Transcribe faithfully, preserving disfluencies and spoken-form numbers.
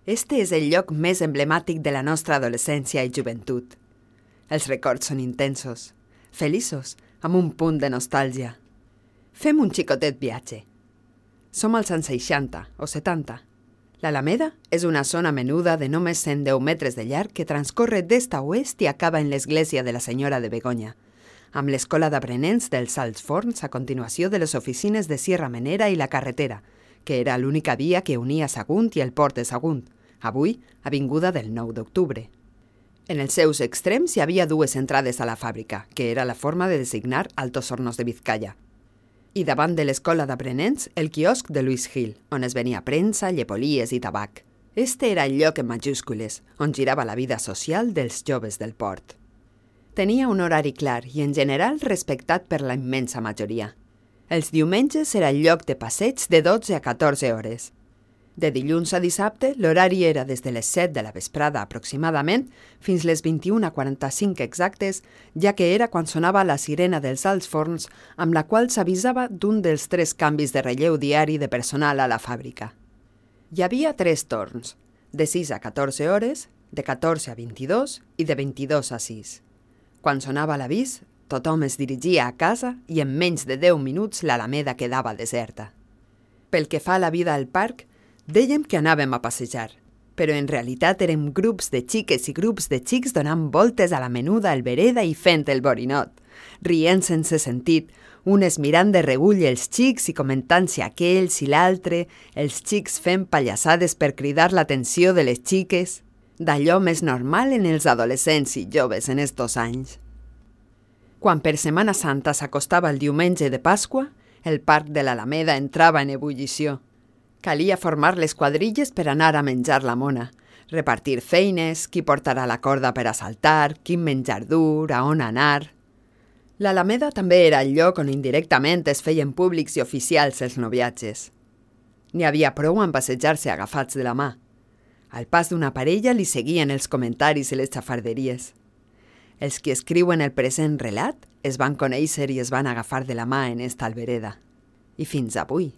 Este és el lloc més emblemàtic de la nostra adolescència i joventut. Els records són intensos, feliços, amb un punt de nostàlgia. Fem un xicotet viatge. Som als anys seixanta o setanta. L'Alameda és una zona menuda de només cent deu metres de llarg que transcorre d'est a oest i acaba en l'església de la Senyora de Begoña, amb l'escola d'aprenents dels Alts Forns a continuació de les oficines de Sierra Menera i la carretera, que era l'única via que unia Sagunt i el port de Sagunt, avui avinguda del nou d'octubre. En els seus extrems hi havia dues entrades a la fàbrica, que era la forma de designar Altos Hornos de Vizcaya. I davant de l'escola d'aprenents, el quiosc de Luis Gil, on es venia premsa, llepolies i tabac. Este era el lloc en majúscules, on girava la vida social dels joves del port. Tenia un horari clar i, en general, respectat per la immensa majoria. Els diumenges era el lloc de passeig de dotze a catorze hores. De dilluns a dissabte, l'horari era des de les set de la vesprada aproximadament fins les vint-i-una quaranta-cinc exactes, ja que era quan sonava la sirena dels Alts Forns amb la qual s'avisava d'un dels tres canvis de relleu diari de personal a la fàbrica. Hi havia tres torns, de sis a catorze hores, de catorze a vint-i-dos i de vint-i-dos a sis. Quan sonava l'avís, tothom es dirigia a casa i en menys de deu minuts l'Alameda quedava deserta. Pel que fa a la vida al parc, dèiem que anàvem a passejar, però en realitat érem grups de xiques i grups de xics donant voltes a la menuda albereda i fent el borinot, rient sense sentit, unes mirant de reüll els xics i comentant si aquell, si l'altre, els xics fent pallassades per cridar l'atenció de les xiques, d'allò més normal en els adolescents i joves en estos anys. Quan per Setmana Santa s'acostava el diumenge de Pasqua, el parc de l'Alameda entrava en ebullició. Calia formar les quadrilles per anar a menjar la mona, repartir feines, qui portarà la corda per a saltar, quin menjar dur, a on anar. L'Alameda també era el lloc on indirectament es feien públics i oficials els noviatges. N'hi havia prou en passejar-se agafats de la mà. Al pas d'una parella li seguien els comentaris i les xafarderies. Els qui escriuen el present relat es van conèixer i es van agafar de la mà en esta albereda. I fins avui.